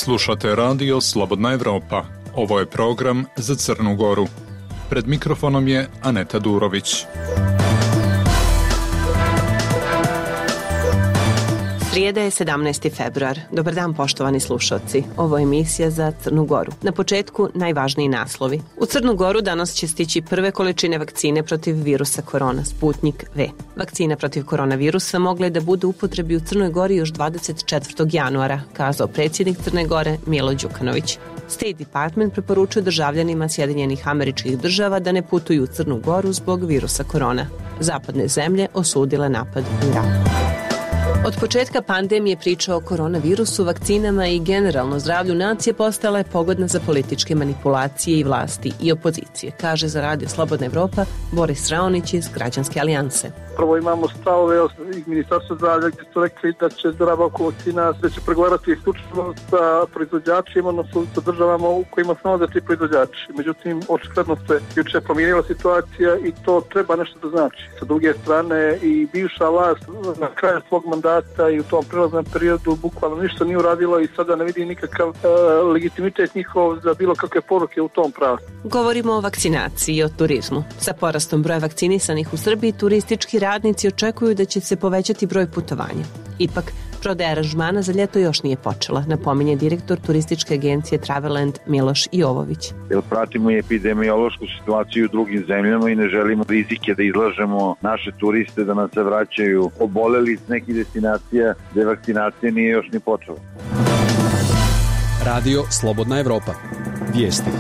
Slušate radio Slobodna Evropa. Ovo je program za Crnu Goru. Pred mikrofonom je Aneta Durović. Srijeda je 17. februar. Dobar dan, poštovani slušalci. Ovo je emisija za Crnu Goru. Na početku najvažniji naslovi. U Crnu Goru danas će stići prve količine vakcine protiv virusa korona, Sputnik V. Vakcina protiv koronavirusa mogla je da bude u upotrebi u Crnoj Gori još 24. januara, kazao predsjednik Crne Gore Milo Đukanović. State Department preporučuje državljanima Sjedinjenih Američkih Država da ne putuju u Crnu Goru zbog virusa korona. Zapadne zemlje osudile napad u Iraku. Od početka pandemije priča o koronavirusu, vakcinama i generalno zdravlju nacije postala je pogodna za političke manipulacije i vlasti i opozicije, kaže za Radio Slobodna Evropa Boris Raonić iz Građanske alijanse. Prvo imamo stavove iz Ministarstva zdravlja gdje su rekli da će zdravlja oko vakcina, da će pregovarati isključivo sa proizvođačima, odnosno sa državama u kojima se nalaze ti proizvođači. Međutim, očigledno se juče promijenila situacija i to treba nešto da znači. Sa druge strane i bivša vlast na kraju svog mandata i u tom prelaznom periodu bukvalno ništa nije uradila i sada ne vidi nikakav legitimitet njihov za bilo kakve poruke u tom pravcu. Govorimo o vakcinaciji i o turizmu. Sa porastom broja vakcinisanih u Srbiji, turistički radnici očekuju da će se povećati broj putovanja. Ipak, prodaja aranžmana za ljeto još nije počela, napominje direktor turističke agencije Traveland Miloš Jovović. Jer pratimo i epidemiološku situaciju u drugim zemljama i ne želimo rizike da izlažemo naše turiste da nam se vraćaju oboleli iz nekih destinacija gdje vakcinacija nije još ni počela. Radio Slobodna Evropa. Vijesti.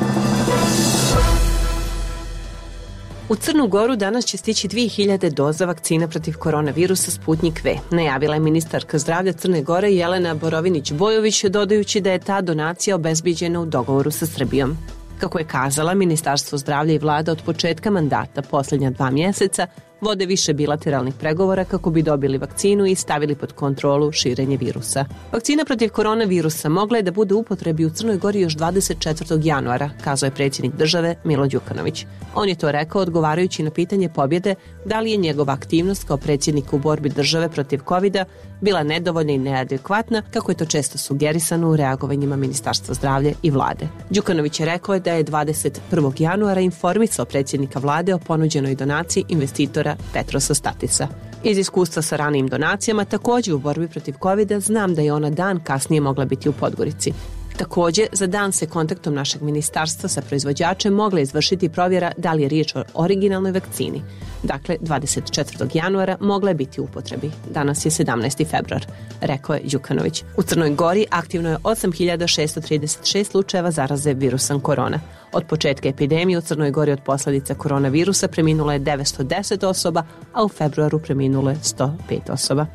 U Crnu Goru danas će stići 2000 doza vakcina protiv koronavirusa Sputnik V, najavila je ministarka zdravlja Crne Gore Jelena Borovinić-Bojović, dodajući da je ta donacija obezbiđena u dogovoru sa Srbijom. Kako je kazala, Ministarstvo zdravlja i vlada od početka mandata posljednja 2 mjeseca vode više bilateralnih pregovora kako bi dobili vakcinu i stavili pod kontrolu širenje virusa. Vakcina protiv koronavirusa mogla je da bude u upotrebi u Crnoj Gori još 24. januara, kazao je predsjednik države Milo Đukanović. On je to rekao odgovarajući na pitanje pobjede da li je njegova aktivnost kao predsjednika u borbi države protiv covida bila nedovoljna i neadekvatna, kako je to često sugerisano u reagovanjima Ministarstva zdravlja i vlade. Đukanović je rekao da je 21. januara informisao predsjednika vlade o ponuđenoj donaciji investitora Petrosa Statisa. Iz iskustva sa ranijim donacijama, također u borbi protiv covida, znam da je ona dan kasnije mogla biti u Podgorici. Također, za dan se kontaktom našeg ministarstva sa proizvođačem mogla izvršiti provjera da li je riječ o originalnoj vakcini. Dakle, 24. januara mogla je biti u upotrebi. Danas je 17. februar, rekao je Đukanović. U Crnoj Gori aktivno je 8636 slučajeva zaraze virusom korona. Od početka epidemije u Crnoj Gori od posljedica koronavirusa preminulo je 910 osoba, a u februaru preminulo je 105 osoba.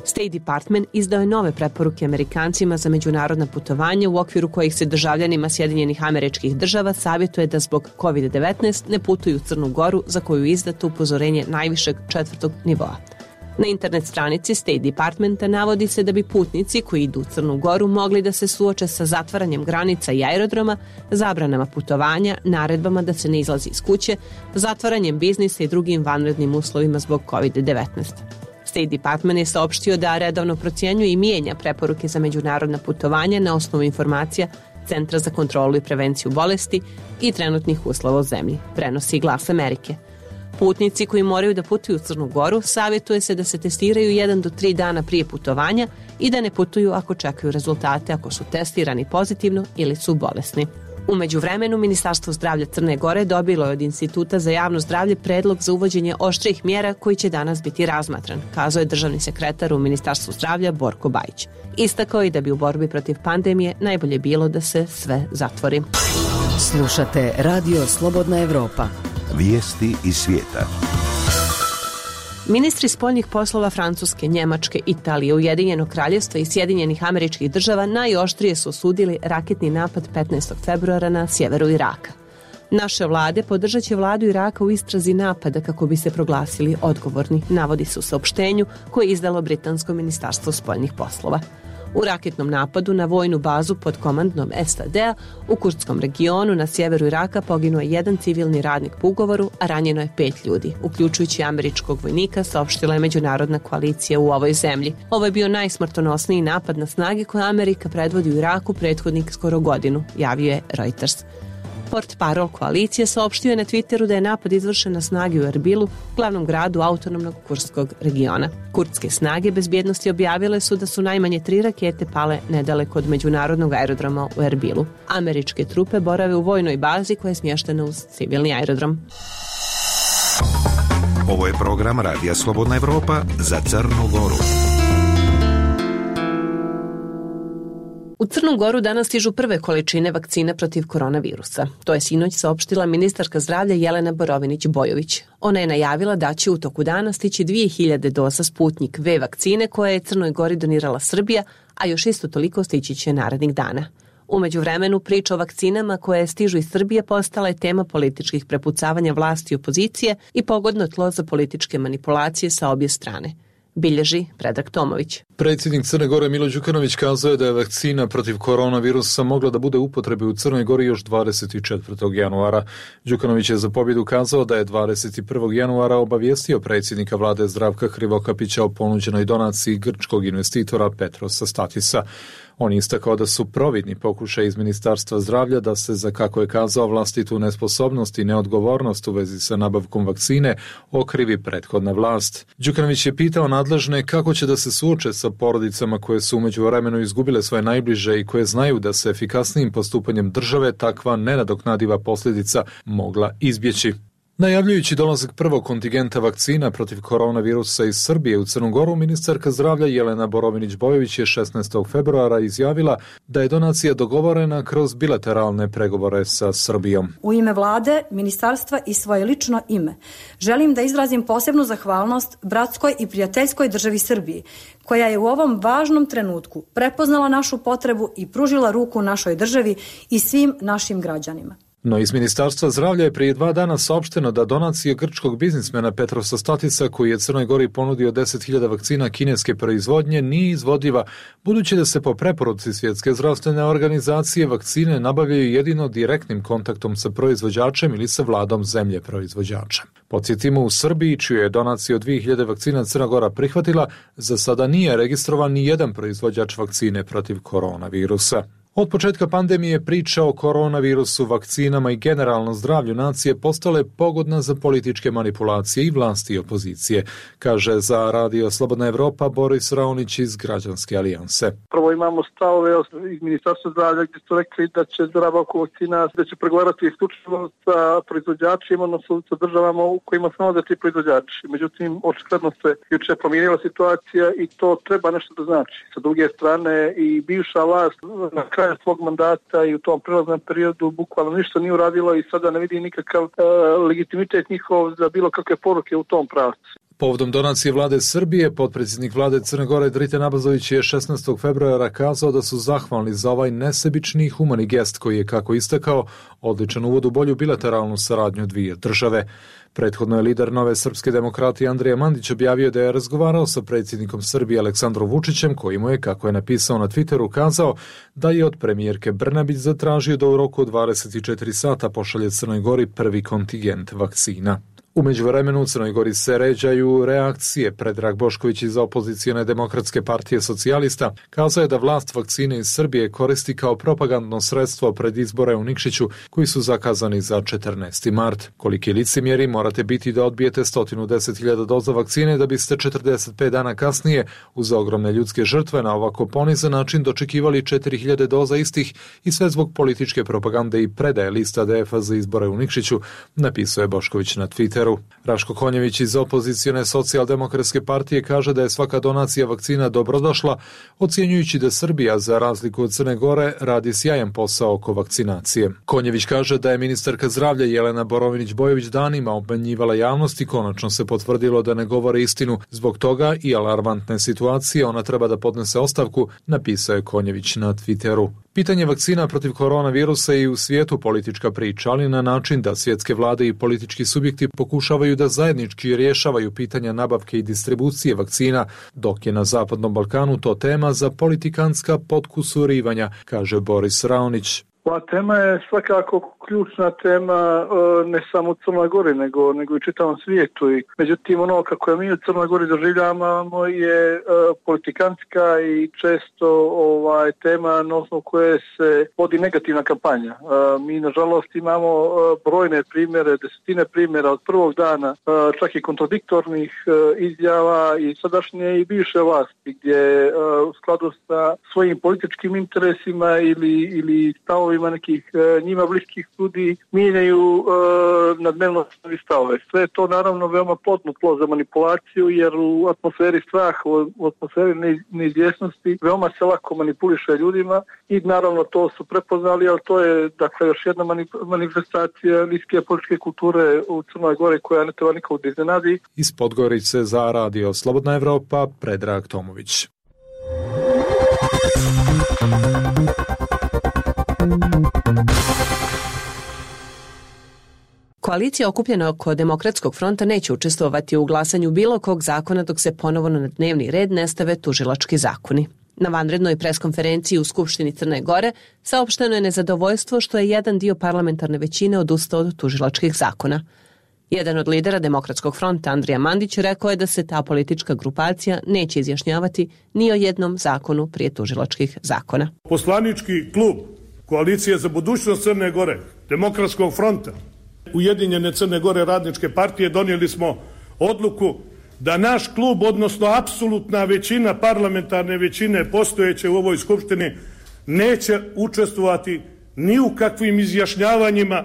State Department izdao je nove preporuke Amerikancima za međunarodna putovanja u okviru kojih se državljanima Sjedinjenih Američkih Država savjetuje da zbog COVID-19 ne putuju u Crnu Goru, za koju je izdato upozorenje najvišeg 4. nivoa. Na internet stranici State Departmenta navodi se da bi putnici koji idu u Crnu Goru mogli da se suoče sa zatvaranjem granica i aerodroma, zabranama putovanja, naredbama da se ne izlazi iz kuće, zatvaranjem biznisa i drugim vanrednim uslovima zbog COVID-19. State Department je saopštio da redovno procjenjuje i mijenja preporuke za međunarodna putovanja na osnovu informacija Centra za kontrolu i prevenciju bolesti i trenutnih uslova u zemlji, prenosi Glas Amerike. Putnici koji moraju da putuju u Crnu Goru savjetuje se da se testiraju 1 do 3 dana prije putovanja i da ne putuju ako čekaju rezultate ako su testirani pozitivno ili su bolesni. U međuvremenu, Ministarstvo zdravlja Crne Gore dobilo je od Instituta za javno zdravlje predlog za uvođenje oštrijih mjera koji će danas biti razmatran, kazao je državni sekretar u Ministarstvu zdravlja Borko Bajić. Istakao je da bi u borbi protiv pandemije najbolje bilo da se sve zatvori. Slušate Radio Slobodna Evropa. Vijesti iz svijeta. Ministri spoljnih poslova Francuske, Njemačke, Italije, Ujedinjenog Kraljevstva i Sjedinjenih Američkih Država najoštrije su osudili raketni napad 15. februara na sjeveru Iraka. Naše vlade podržat će vladu Iraka u istrazi napada kako bi se proglasili odgovorni, navodi se u saopštenju koje je izdalo Britansko ministarstvo spoljnih poslova. U raketnom napadu na vojnu bazu pod komandnom SAD-a u kurdskom regionu na sjeveru Iraka poginuo je jedan civilni radnik po ugovoru, a ranjeno je 5 ljudi, uključujući američkog vojnika, saopštila je međunarodna koalicija u ovoj zemlji. Ovo je bio najsmrtonosniji napad na snage koje Amerika predvodi u Iraku prethodnih skoro godinu, javio je Reuters. Portparol koalicije saopštio je na Twitteru da je napad izvršen na snage u Erbilu, glavnom gradu autonomnog kurdskog regiona. Kurdske snage bezbjednosti objavile su da su najmanje 3 rakete pale nedaleko od međunarodnog aerodroma u Erbilu. Američke trupe borave u vojnoj bazi koja je smještena uz civilni aerodrom. Ovo je program Radija Slobodna Evropa za Crnu Goru. U Crnu Goru danas stižu prve količine vakcine protiv koronavirusa. To je sinoć saopštila ministarka zdravlja Jelena Borovinić-Bojović. Ona je najavila da će u toku dana stići 2000 doza Sputnik V vakcine koje je Crnoj Gori donirala Srbija, a još isto toliko stići će narednih dana. U međuvremenu priča o vakcinama koje stižu iz Srbije postala je tema političkih prepucavanja vlasti i opozicije i pogodno tlo za političke manipulacije sa obje strane. Bilježi Predrag Tomović. Predsjednik Crne Gore Milo Đukanović kazao je da je vakcina protiv koronavirusa mogla da bude u upotrebi u Crnoj Gori još 24. januara. Đukanović je za pobjedu kazao da je 21. januara obavijestio predsjednika vlade Zdravka Krivokapića o ponuđenoj donaciji grčkog investitora Petrosa Statisa. On je istakao da su providni pokušaj iz Ministarstva zdravlja da se za, kako je kazao, vlastitu nesposobnost i neodgovornost u vezi sa nabavkom vakcine okrivi prethodna vlast. Đukanović je pitao nadležne kako će da se suoče sa porodicama koje su u međuvremenu izgubile svoje najbliže i koje znaju da se efikasnijim postupanjem države takva nenadoknadiva posljedica mogla izbjeći. Najavljujući dolazak prvog kontingenta vakcina protiv koronavirusa iz Srbije u Crnu Goru, ministarka zdravlja Jelena Borovinić-Bojović je 16. februara izjavila da je donacija dogovorena kroz bilateralne pregovore sa Srbijom. U ime vlade, ministarstva i svoje lično ime želim da izrazim posebnu zahvalnost bratskoj i prijateljskoj državi Srbiji, koja je u ovom važnom trenutku prepoznala našu potrebu i pružila ruku našoj državi i svim našim građanima. No iz Ministarstva zdravlja je prije 2 dana saopšteno da donacija grčkog biznismena Petrosa Statisa, koji je Crnoj Gori ponudio 10.000 vakcina kineske proizvodnje, nije izvodiva, budući da se po preporuci Svjetske zdravstvene organizacije vakcine nabavljaju jedino direktnim kontaktom sa proizvođačem ili sa vladom zemlje proizvođača. Podsjetimo, u Srbiji, čiju je donaciju od 2000 vakcina Crna Gora prihvatila, za sada nije registrovan ni jedan proizvođač vakcine protiv koronavirusa. Od početka pandemije priča o koronavirusu, vakcinama i generalno zdravlju nacije postala je pogodna za političke manipulacije i vlasti i opozicije, kaže za Radio Slobodna Evropa Boris Raonić iz Građanske alijanse. Prvo imamo stavove iz Ministarstva zdravlja gdje su rekli da će nabavku vakcina, da će pregovarati isključivo sa proizvođačima, odnosno sa državama u kojima se nalaze ti proizvođači. Međutim, očigledno se juče promijenila situacija i to treba nešto da znači. Sa druge strane i bivša vlast na kraju svog mandata i u tom prelaznom periodu bukvalno ništa nije uradilo i sada ne vidi nikakav legitimitet njihov za bilo kakve poruke u tom pravcu. Povodom donacije vlade Srbije, potpredsjednik vlade Crne Gore Driten Abazović je 16. februara kazao da su zahvalni za ovaj nesebični i humani gest koji je, kako istakao, odličan uvod u bolju bilateralnu saradnju dvije države. Prethodno je lider Nove srpske demokratije Andrija Mandić objavio da je razgovarao sa predsjednikom Srbije Aleksandrom Vučićem, koji mu je, kako je napisao na Twitteru, kazao da je od premijerke Brnabić zatražio da u roku od 24 sata pošalje Crnoj Gori prvi kontingent vakcina. U međuvremenu u Crnoj Gori se ređaju reakcije. Predrag Bošković iz opozicione Demokratske partije socijalista kazao je da vlast vakcine iz Srbije koristi kao propagandno sredstvo pred izbore u Nikšiću koji su zakazani za 14. mart. Koliki licemjeri morate biti da odbijete 110.000 doza vakcine da biste 45 dana kasnije uz ogromne ljudske žrtve na ovako ponizan način dočekivali 4.000 doza istih i sve zbog političke propagande i predaje lista DF-a za izbore u Nikšiću, napisao je Bošković na Twitteru. Raško Konjević iz opozicione socijaldemokratske partije kaže da je svaka donacija vakcina dobrodošla, ocjenjujući da Srbija, za razliku od Crne Gore, radi sjajan posao oko vakcinacije. Konjević kaže da je ministarka zdravlja Jelena Borovinić-Bojović danima obmanjivala javnost i konačno se potvrdilo da ne govore istinu. Zbog toga i alarmantne situacije ona treba da podnese ostavku, napisao je Konjević na Twitteru. Pitanje vakcina protiv koronavirusa je i u svijetu politička priča, ali na način da svjetske vlade i politički subjekti pokušavaju da zajednički rješavaju pitanja nabavke i distribucije vakcina, dok je na Zapadnom Balkanu to tema za politikanska potkusurivanja, kaže Boris Raonić. Ova tema je svakako ključna tema ne samo u Crnoj Gori, nego i čitavom svijetu. Međutim, ono kako je mi u Crnoj Gori doživljavamo je politikantska i često tema na osnovu koje se vodi negativna kampanja. Mi, nažalost, imamo brojne primjere, desetine primjera od prvog dana, čak i kontradiktornih izjava i sadašnje i bivše vlasti, gdje u skladu sa svojim političkim interesima ili stavovima nekih njima bliskih ljudi mijenjaju na dnevno stavove. Sve je to naravno veoma plodno tlo za manipulaciju, jer u atmosferi straha, u atmosferi neizvjesnosti veoma se lako manipuliše ljudima i naravno to su prepoznali, ali to je dakle još jedna manifestacija niske političke kulture u Crnoj Gori koja ne treba nikog da iznenadi. Iz Podgorice za Radio Slobodna Evropa, Predrag Tomović. Koalicija okupljena oko Demokratskog fronta neće učestvovati u glasanju bilo kog zakona dok se ponovo na dnevni red ne stave tužilački zakoni. Na vanrednoj preskonferenciji u Skupštini Crne Gore saopšteno je nezadovoljstvo što je jedan dio parlamentarne većine odustao od tužilačkih zakona. Jedan od lidera Demokratskog fronta, Andrija Mandić, rekao je da se ta politička grupacija neće izjašnjavati ni o jednom zakonu prije tužilačkih zakona. Poslanički klub Koalicije za budućnost Crne Gore, Demokratskog fronta, Ujedinjene Crne Gore radničke partije donijeli smo odluku da naš klub, odnosno apsolutna većina, parlamentarne većine postojeće u ovoj skupštini, neće učestvovati ni u kakvim izjašnjavanjima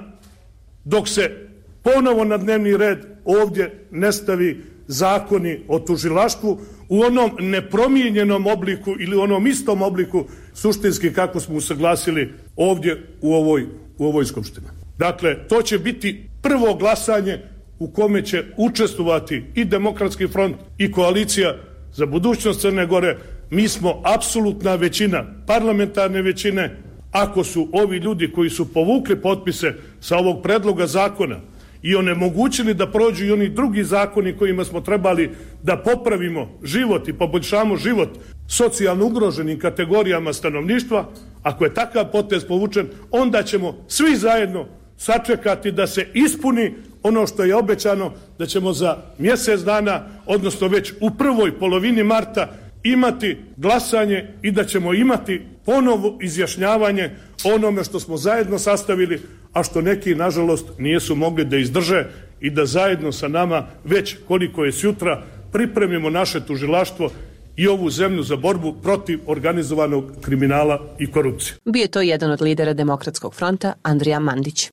dok se ponovo na dnevni red ovdje ne stavi zakoni o tužilaštvu u onom nepromijenjenom obliku ili onom istom obliku suštinski kako smo usaglasili ovdje u ovoj skupštini. Dakle, to će biti prvo glasanje u kome će učestvovati i Demokratski front i Koalicija za budućnost Crne Gore. Mi smo apsolutna većina, parlamentarne većine. Ako su ovi ljudi koji su povukli potpise sa ovog predloga zakona i onemogućili da prođu i oni drugi zakoni kojima smo trebali da popravimo život i poboljšamo život socijalno ugroženim kategorijama stanovništva, ako je takav potez povučen, onda ćemo svi zajedno sačekati da se ispuni ono što je obećano, da ćemo za mjesec dana, odnosno već u prvoj polovini marta, imati glasanje i da ćemo imati ponovo izjašnjavanje onome što smo zajedno sastavili, a što neki, nažalost, nisu mogli da izdrže i da zajedno sa nama, već koliko je sutra, pripremimo naše tužilaštvo i ovu zemlju za borbu protiv organizovanog kriminala i korupcije. Bio je to jedan od lidera Demokratskog fronta, Andrija Mandić.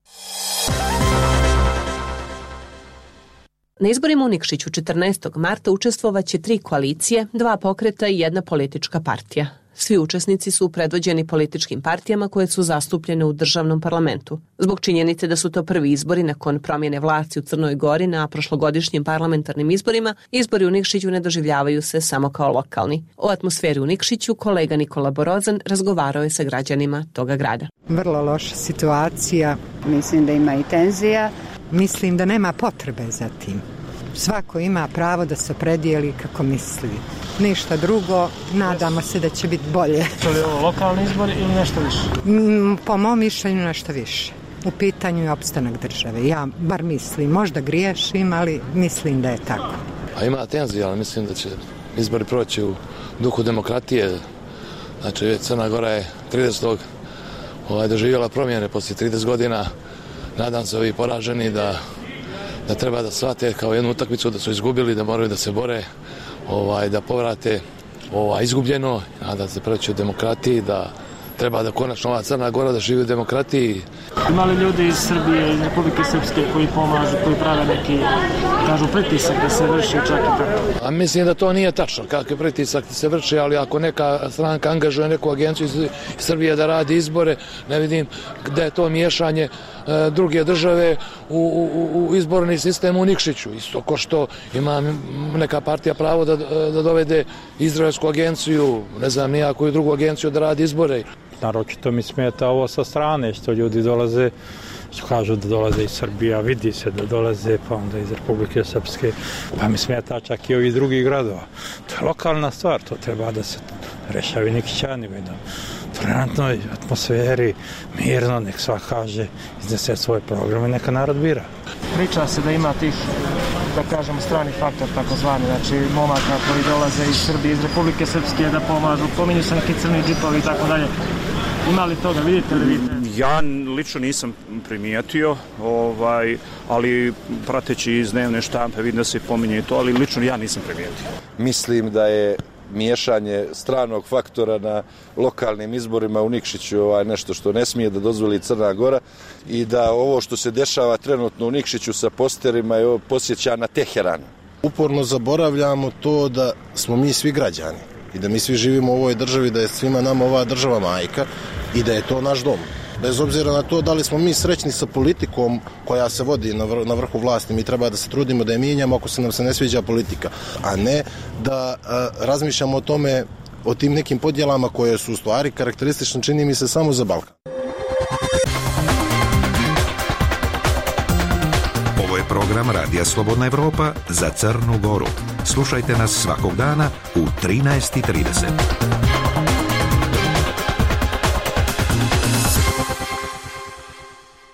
Na izborima u Nikšiću 14. marta učestvovaće 3 koalicije, 2 pokreta i 1 politička partija. Svi učesnici su predvođeni političkim partijama koje su zastupljene u državnom parlamentu. Zbog činjenice da su to prvi izbori nakon promjene vlasti u Crnoj Gori na prošlogodišnjim parlamentarnim izborima, izbori u Nikšiću ne doživljavaju se samo kao lokalni. O atmosferi u Nikšiću kolega Nikola Borozan razgovarao je sa građanima toga grada. Vrlo loša situacija. Mislim da ima i tenzija. Mislim da nema potrebe za tim. Svako ima pravo da se opredijeli kako misli. Ništa drugo, nadamo se da će biti bolje. To je ovo lokalni izbor ili nešto više? Po mom mišljenju nešto više. U pitanju je opstanak države. Ja bar mislim, možda griješim, ali mislim da je tako. A ima tenzija, ali mislim da će izbori proći u duhu demokratije. Znači, Crna Gora je 30. doživjela promjene poslije 30 godina. Nadam se ovi poraženi da treba da shvate kao jednu utakmicu da su izgubili, da moraju da se bore, da povrate izgubljeno, nadam se preći u demokratiji, da treba da konačno ova Crna Gora da živi u demokratiji. Ima li ljudi iz Srbije, iz Republike Srpske koji pomažu, koji prave neki, kažu, pritisak da se vrši čak i tako? A mislim da to nije tačno, kakvi pritisak se vrši, ali ako neka stranka angažuje neku agenciju iz Srbije da radi izbore, ne vidim da je to miješanje druge države u izborni sistem u Nikšiću. Isto ko što ima neka partija pravo da dovede izraelsku agenciju, ne znam, nijakoju drugu agenciju da radi izbore. naročito mi smeta ovo sa strane, što ljudi dolaze, što kažu da dolaze iz Srbije, vidi se da dolaze, pa onda iz Republike Srpske, pa mi smeta čak i ovih drugih gradova. To je lokalna stvar, to treba da se rešavi neki čani, tolerantnoj atmosferi, mirno, nek svak kaže, iznese svoje programe, neka narod bira. Priča se da ima tih, da kažemo, strani faktor, takozvani, znači momaka koji dolaze iz Srbije, iz Republike Srpske da pomažu, pominju se neki crni džipovi i tako dalje. Ima li toga, vidite li vidite? Ja lično nisam primijetio, ali prateći iz dnevne štampe vidim da se pominje to, ali lično ja nisam primijetio. Mislim da je miješanje stranog faktora na lokalnim izborima u Nikšiću nešto što ne smije da dozvoli Crna Gora i da ovo što se dešava trenutno u Nikšiću sa posterima je podsjeća na Teheran. Uporno zaboravljamo to da smo mi svi građani i da mi svi živimo u ovoj državi, da je svima nama ova država majka i da je to naš dom. Bez obzira na to da li smo mi srećni sa politikom koja se vodi na vrhu vlasti, mi treba da se trudimo da je mijenjamo ako se nam se ne sviđa politika, a ne da razmišljamo o tome, o tim nekim podjelama koje su u stvari karakteristične, čini mi se, samo za Balkan. Ovo je program Radija Slobodna Evropa za Crnu Goru. Slušajte nas svakog dana u 13:30.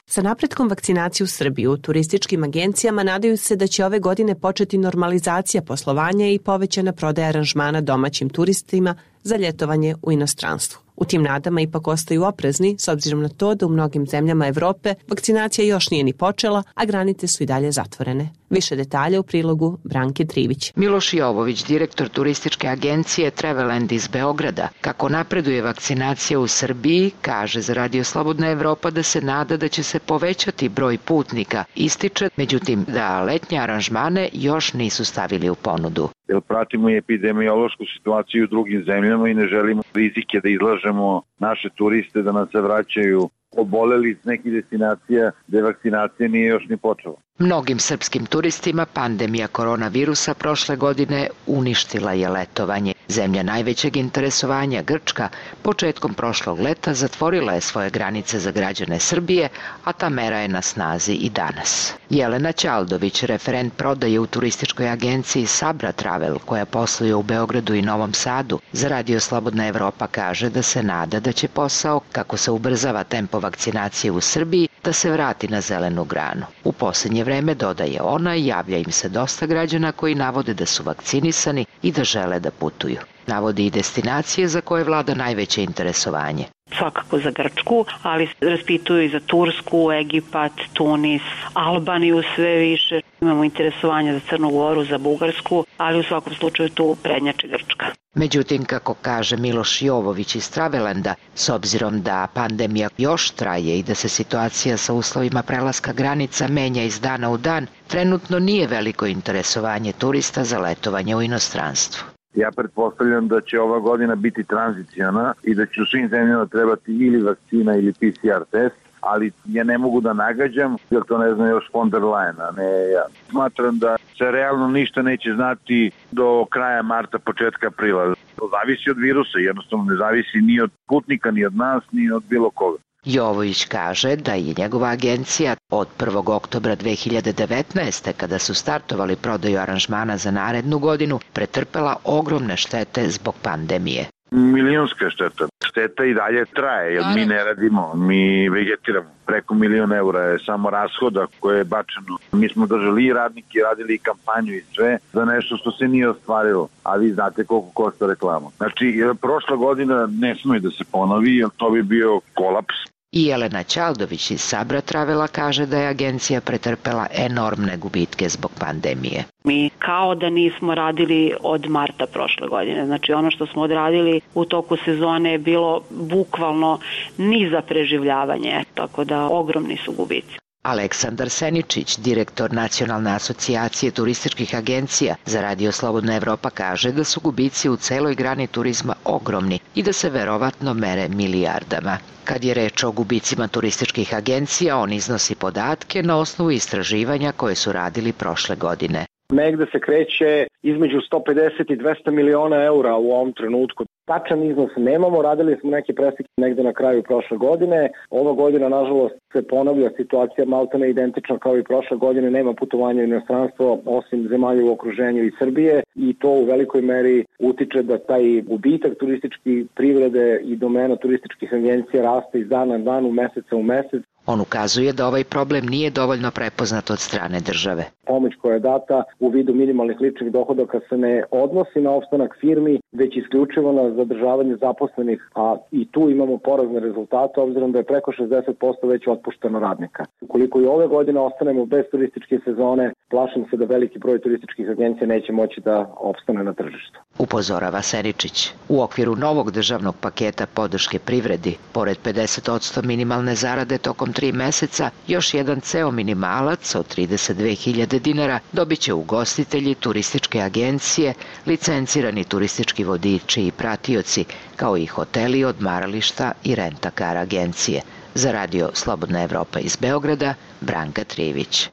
Sa napretkom vakcinacije u Srbiji u turističkim agencijama nadaju se da će ove godine početi normalizacija poslovanja i povećana prodaja aranžmana domaćim turistima za ljetovanje u inostranstvu. U tim nadama ipak ostaju oprezni s obzirom na to da u mnogim zemljama Evrope vakcinacija još nije ni počela, a granice su i dalje zatvorene. Više detalja u prilogu Branke Trivić. Miloš Jovović, direktor turističke agencije Traveland iz Beograda, kako napreduje vakcinacija u Srbiji, kaže za Radio Slobodna Evropa da se nada da će se povećati broj putnika. Ističe, međutim, da letnje aranžmane još nisu stavili u ponudu. Jer pratimo i epidemiološku situaciju u drugim zemljama i ne želimo rizike da izlažemo naše turiste da nam se vraćaju oboleli iz nekih destinacija gde vakcinacija nije još ni počela. Mnogim srpskim turistima pandemija koronavirusa prošle godine uništila je letovanje. Zemlja najvećeg interesovanja, Grčka, početkom prošlog leta zatvorila je svoje granice za građane Srbije, a ta mera je na snazi i danas. Jelena Ćaldović, referent prodaje u turističkoj agenciji Sabra Travel, koja posluje u Beogradu i Novom Sadu, za Radio Slobodna Evropa kaže da se nada da će posao, kako se ubrzava tempo vakcinacije u Srbiji, da se vrati na zelenu granu. U posljednje vreme, dodaje ona, javlja im se dosta građana koji navode da su vakcinisani i da žele da putuju. Navodi i destinacije za koje vlada najveće interesovanje. Svakako za Grčku, ali raspituju i za Tursku, Egipat, Tunis, Albaniju sve više. Imamo interesovanje za Crnu Goru, za Bugarsku, ali u svakom slučaju tu prednjači Grčka. Međutim, kako kaže Miloš Jovović iz Travelanda, s obzirom da pandemija još traje i da se situacija sa uslovima prelaska granica menja iz dana u dan, trenutno nije veliko interesovanje turista za letovanje u inostranstvu. Ja pretpostavljam da će ova godina biti tranziciona i da će u svim zemljama trebati ili vakcina ili PCR test, ali ja ne mogu da nagađam, jer to ne zna još von der Leyen, a ne ja. Smatram da se realno ništa neće znati do kraja marta, početka aprila. To zavisi od virusa, jednostavno ne zavisi ni od putnika, ni od nas, ni od bilo koga. Jovović kaže da je njegova agencija od 1. oktobra 2019. kada su startovali prodaju aranžmana za narednu godinu, pretrpela ogromne štete zbog pandemije. Milionska šteta. Šteta i dalje traje, jer mi ne radimo, mi vegetiramo. Preko €1.000.000 je samo rashoda koje je bačeno. Mi smo držali i radnike, radili i kampanju i sve za nešto što se nije ostvarilo, a vi znate koliko košta reklama. Znači, prošla godina ne smije da se ponovi, jer to bi bio kolaps. I Jelena Ćaldović iz Sabra Travela kaže da je agencija pretrpela enormne gubitke zbog pandemije. Mi kao da nismo radili od marta prošle godine. Znači ono što smo odradili u toku sezone je bilo bukvalno ni za preživljavanje, tako da ogromni su gubici. Aleksandar Seničić, direktor Nacionalne asocijacije turističkih agencija za Radio Slobodna Evropa, kaže da su gubici u celoj grani turizma ogromni i da se verovatno mere milijardama. Kad je reč o gubicima turističkih agencija, on iznosi podatke na osnovu istraživanja koje su radili prošle godine. negde se kreće između 150 i 200 miliona eura u ovom trenutku. Tačan iznos nemamo, radili smo neke preseke negde na kraju prošle godine. Ova godina, nažalost, se ponavlja situacija maltene identična kao i prošle godine, nema putovanja u inostranstvo osim zemalja u okruženju i Srbije i to u velikoj meri utiče da taj gubitak turističke privrede i domena turističkih agencija raste iz dana na dan, u meseca u mesec. On ukazuje da ovaj problem nije dovoljno prepoznat od strane države. Pomoć koja je data u vidu minimalnih ličnih dohodaka se ne odnosi na opstanak firmi, već isključivo na zadržavanje zaposlenih, a i tu imamo porazne rezultate, obzirom da je preko 60% već otpušteno radnika. Ukoliko i ove godine ostanemo bez turističke sezone, plašim se da veliki broj turističkih agencija neće moći da opstane na tržištu. Upozorava Seničić. U okviru novog državnog paketa podrške privredi, pored 50% minimalne zarade tokom 3 meseca, još jedan ceo minimalac od 32.000 dinara dobit će ugostitelji, turističke agencije, licencirani turistički vodiči i pratioci, kao i hoteli, odmarališta i rent-a-car agencije. Za radio Slobodna Evropa iz Beograda, Branka Trivić.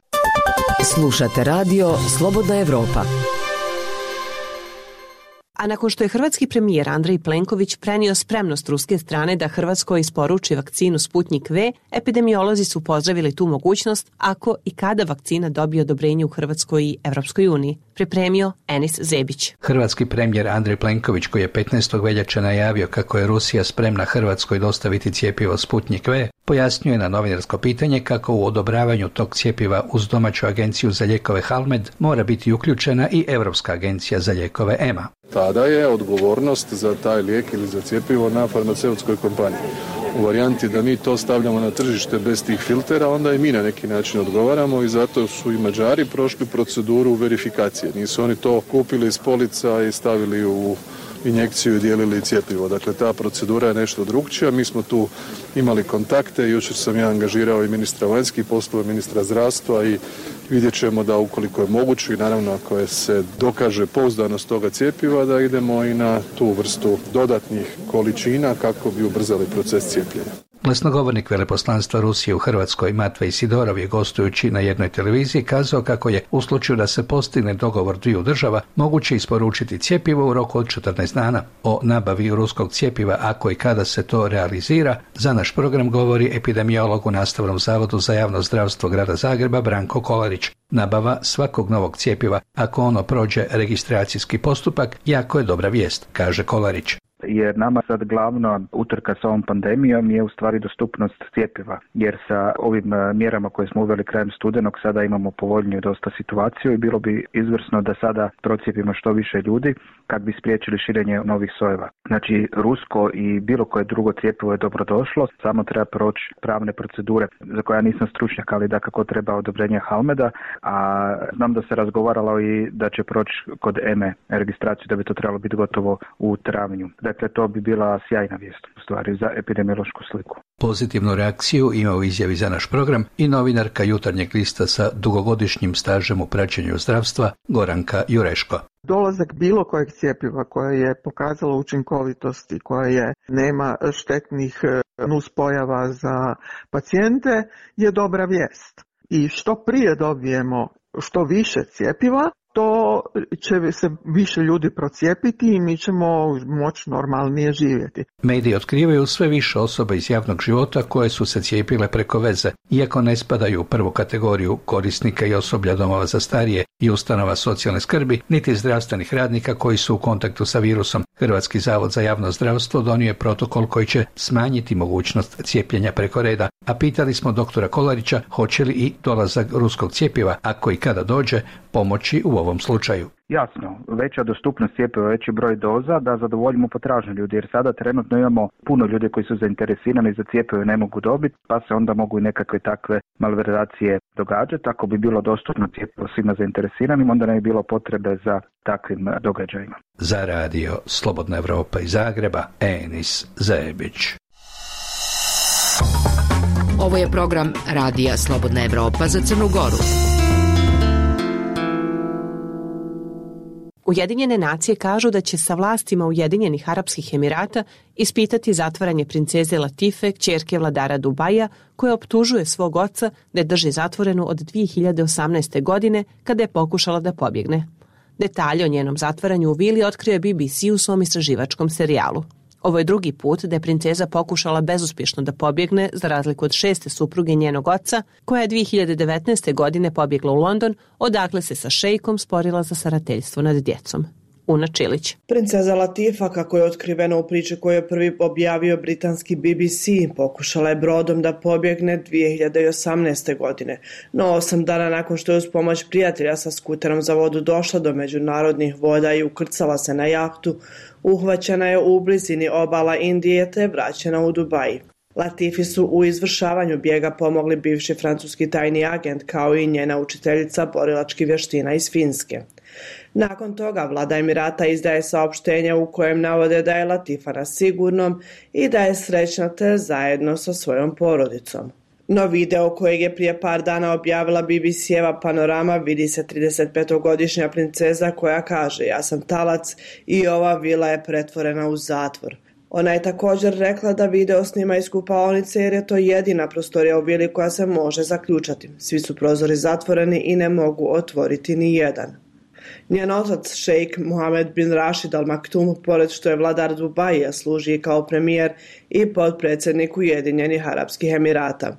Slušate radio Slobodna Evropa. A nakon što je hrvatski premijer Andrej Plenković prenio spremnost ruske strane da Hrvatskoj isporuči vakcinu Sputnik V, epidemiolozi su pozdravili tu mogućnost ako i kada vakcina dobije odobrenje u Hrvatskoj i Evropskoj uniji. Pripremio Enis Zebić. Hrvatski premijer Andrej Plenković, koji je 15. veljače najavio kako je Rusija spremna Hrvatskoj dostaviti cjepivo Sputnik V, pojasnio je na novinarsko pitanje kako u odobravanju tog cjepiva uz domaću agenciju za lijekove Halmed mora biti uključena i Europska agencija za lijekove EMA. Tada je odgovornost za taj lijek ili za cjepivo na farmaceutskoj kompaniji. U varijanti da mi to stavljamo na tržište bez tih filtera, onda i mi na neki način odgovaramo i zato su i Mađari prošli proceduru verifikacije. Nisu oni to kupili iz polica i stavili u injekciju i dijelili cjepivo. Dakle, ta procedura je nešto drukčija. Mi smo tu imali kontakte. Jučer sam ja angažirao i ministra vanjskih poslova, ministra zdravstva i vidjet ćemo da ukoliko je moguće i naravno ako je se dokaže pouzdanost toga cjepiva, da idemo i na tu vrstu dodatnih količina kako bi ubrzali proces cijepljenja. Glasnogovornik veleposlanstva Rusije u Hrvatskoj Matvej Sidorov je gostujući na jednoj televiziji kazao kako je u slučaju da se postigne dogovor dviju država moguće isporučiti cjepivo u roku od 14 dana. O nabavi ruskog cjepiva ako i kada se to realizira, za naš program govori epidemiolog u Nastavnom zavodu za javno zdravstvo grada Zagreba Branko Kolarić. Nabava svakog novog cjepiva, ako ono prođe registracijski postupak, jako je dobra vijest, kaže Kolarić. Jer nama sad glavna utrka sa ovom pandemijom je u stvari dostupnost cjepiva, jer sa ovim mjerama koje smo uveli krajem studenog sada imamo povoljniju dosta situaciju i bilo bi izvrsno da sada procijepimo što više ljudi kad bi spriječili širenje novih sojeva. Znači, rusko i bilo koje drugo cjepivo je dobrodošlo, samo treba proći pravne procedure za koje ja nisam stručnjak, ali da kako treba odobrenje Halmeda, a znam da se razgovaralo i da će proći kod EME registraciju, da bi to trebalo biti gotovo u travnju. Dakle, to bi bila sjajna vijest u stvari za epidemiološku sliku. Pozitivnu reakciju ima u izjavi za naš program i novinarka Jutarnjeg lista sa dugogodišnjim stažem u praćenju zdravstva Goranka Jureško. Dolazak bilo kojeg cjepiva koje je pokazalo učinkovitost i koje nema štetnih nuspojava za pacijente je dobra vijest. I što prije dobijemo što više cjepiva, to će se više ljudi procijepiti i mi ćemo moći normalnije živjeti. Mediji otkrivaju sve više osoba iz javnog života koje su se cijepile preko veze, iako ne spadaju u prvu kategoriju korisnika i osoblja domova za starije i ustanova socijalne skrbi, niti zdravstvenih radnika koji su u kontaktu sa virusom. Hrvatski zavod za javno zdravstvo donio je protokol koji će smanjiti mogućnost cijepljenja preko reda, a pitali smo doktora Kolarića hoće li i dolazak ruskog cjepiva, ako i kada dođe, pomoći u ovom slučaju. Jasno, veća dostupnost cjepiva, veći broj doza da zadovoljimo potražnju ljudi, jer sada trenutno imamo puno ljudi koji su zainteresirani za cjepivo i ne mogu dobiti, pa se onda mogu i nekakve takve malverzacije događati. Ako bi bilo dostupno cjepivo svima zainteresiranim, onda ne bi bilo potrebe za takvim događajima. Za radio Slobodna Evropa iz Zagreba, Enis Zebić. Ovo je program radija Slobodna Evropa za Crnu Goru. Ujedinjene nacije kažu da će sa vlastima Ujedinjenih Arapskih Emirata ispitati zatvaranje princeze Latife, kćerke vladara Dubaja, koja optužuje svog oca da je drži zatvorenu od 2018. godine kada je pokušala da pobjegne. Detalje o njenom zatvaranju u vili otkrio BBC u svom istraživačkom serijalu. Ovo je drugi put da je princeza pokušala bezuspješno da pobjegne, za razliku od 6. supruge njenog oca, koja je 2019. godine pobjegla u London, odakle se sa šejkom sporila za starateljstvo nad djecom. Una Čilić. Princeza Latifa, kako je otkriveno u priči koju je prvi objavio britanski BBC, pokušala je brodom da pobjegne 2018. godine, no 8 dana nakon što je uz pomoć prijatelja sa skuterom za vodu došla do međunarodnih voda i ukrcala se na jahtu, uhvaćena je u blizini obala Indije te je vraćena u Dubai. Latifi su u izvršavanju bijega pomogli bivši francuski tajni agent kao i njena učiteljica borilačkih vještina iz Finske. Nakon toga vlada Emirata izdaje saopštenje u kojem navode da je Latifa na sigurnom i da je srećna te zajedno sa svojom porodicom. No video kojeg je prije par dana objavila BBC-eva Panorama vidi se 35-godišnja princeza koja kaže: "Ja sam talac i ova vila je pretvorena u zatvor." Ona je također rekla da video snima iz kupaonice jer je to jedina prostorija u vili koja se može zaključati. Svi su prozori zatvoreni i ne mogu otvoriti ni jedan. Njen otac, šejk Mohamed bin Rashid Al Maktoum, pored što je vladar Dubaija, služi i kao premijer i potpredsjednik Ujedinjenih Arapskih Emirata.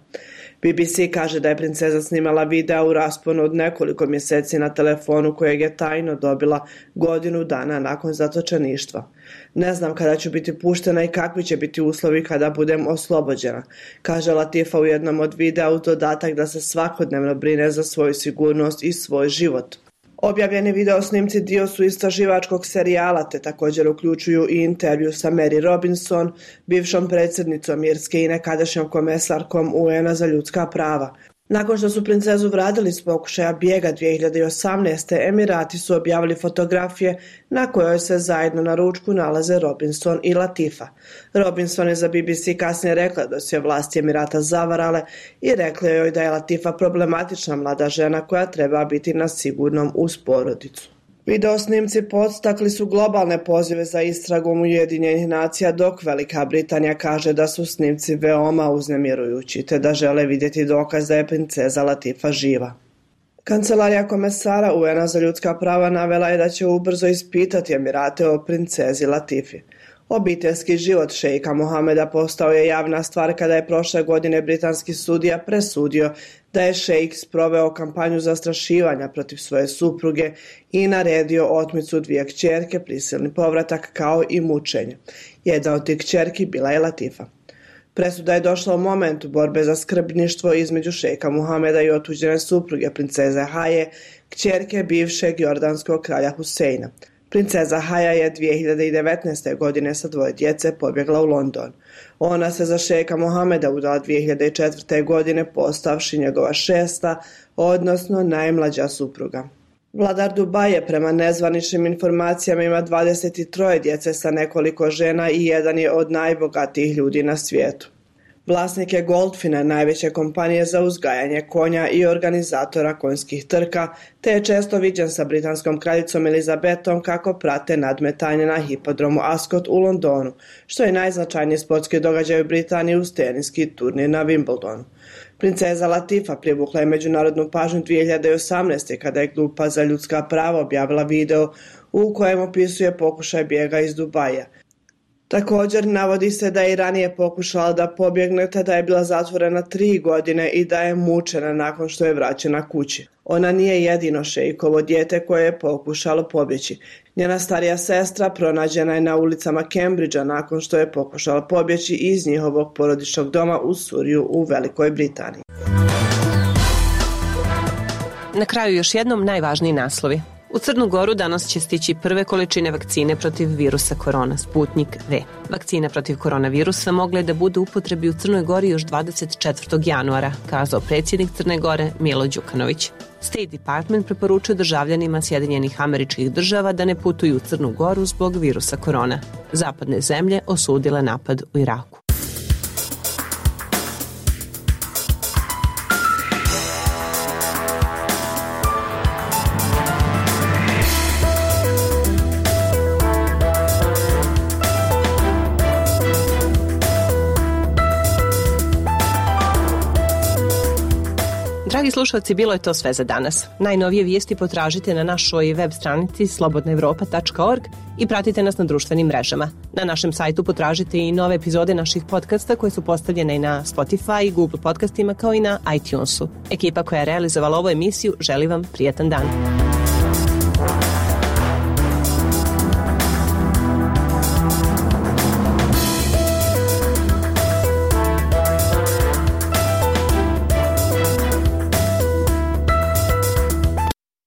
BBC kaže da je princeza snimala videa u rasponu od nekoliko mjeseci na telefonu kojeg je tajno dobila godinu dana nakon zatočeništva. "Ne znam kada ću biti puštena i kakvi će biti uslovi kada budem oslobođena", kaže Latifa u jednom od videa uz dodatak da se svakodnevno brine za svoju sigurnost i svoj život. Objavljeni video snimci dio su istraživačkog serijala te također uključuju i intervju sa Mary Robinson, bivšom predsjednicom Irske i nekadašnjom komesarkom UN-a za ljudska prava. Nakon što su princezu vratili s pokušaja bijega 2018. Emirati su objavili fotografije na kojoj se zajedno na ručku nalaze Robinson i Latifa. Robinson je za BBC kasnije rekla da su je vlasti Emirata zavarale i rekla joj da je Latifa problematična mlada žena koja treba biti na sigurnom uz porodicu. Video snimci podstakli su globalne pozive za istragom Ujedinjenih nacija, dok Velika Britanija kaže da su snimci veoma uznemirujući te da žele vidjeti dokaz da je princeza Latifa živa. Kancelarija komesara UN-a za ljudska prava navela je da će ubrzo ispitati Emirate o princezi Latifi. Obiteljski život šejka Mohameda postao je javna stvar kada je prošle godine britanski sudija presudio da je šejk sproveo kampanju zastrašivanja protiv svoje supruge i naredio otmicu 2 kćerke, prisilni povratak kao i mučenje. Jedna od tih kćerki bila je Latifa. Presuda je došla u momentu borbe za skrbništvo između šejka Mohameda i otuđene supruge princeze Haje, kćerke bivšeg jordanskog kralja Huseina. Princeza Haja je 2019. godine sa 2 djece pobjegla u London. Ona se za šejka Mohameda udala 2004. godine postavši njegova 6., odnosno najmlađa supruga. Vladar Dubaja prema nezvaničnim informacijama ima 23 djece sa nekoliko žena i jedan je od najbogatijih ljudi na svijetu. Vlasnik je Goldfina, najveće kompanije za uzgajanje konja i organizatora konjskih trka, te je često viđen sa britanskom kraljicom Elizabetom kako prate nadmetanje na hipodromu Ascot u Londonu, što je najznačajniji sportski događaj u Britaniji uz teniski turnir na Wimbledonu. Princeza Latifa privukla je međunarodnu pažnju 2018. kada je Grupa za ljudska prava objavila video u kojem opisuje pokušaj bijega iz Dubaja. Također navodi se da je i ranije pokušala da pobjegne te da je bila zatvorena 3 godine i da je mučena nakon što je vraćena kući. Ona nije jedino šejkovo dijete koje je pokušalo pobjeći. Njena starija sestra pronađena je na ulicama Cambridgea nakon što je pokušala pobjeći iz njihovog porodičnog doma u Suriju u Velikoj Britaniji. Na kraju još jednom najvažniji naslovi. U Crnu Goru danas će stići prve količine vakcine protiv virusa korona, Sputnik V. Vakcina protiv koronavirusa mogla je da bude u upotrebi u Crnoj Gori još 24. januara, kazao predsjednik Crne Gore Milo Đukanović. State Department preporučuje državljanima Sjedinjenih Američkih Država da ne putuju u Crnu Goru zbog virusa korona. Zapadne zemlje osudile napad u Iraku. Dragi slušalci, bilo je to sve za danas. Najnovije vijesti potražite na našoj web stranici slobodnaevropa.org i pratite nas na društvenim mrežama. Na našem sajtu potražite i nove epizode naših podcasta koje su postavljene i na Spotify, Google podcastima kao i na iTunesu. Ekipa koja je realizovala ovu emisiju želi vam prijatan dan.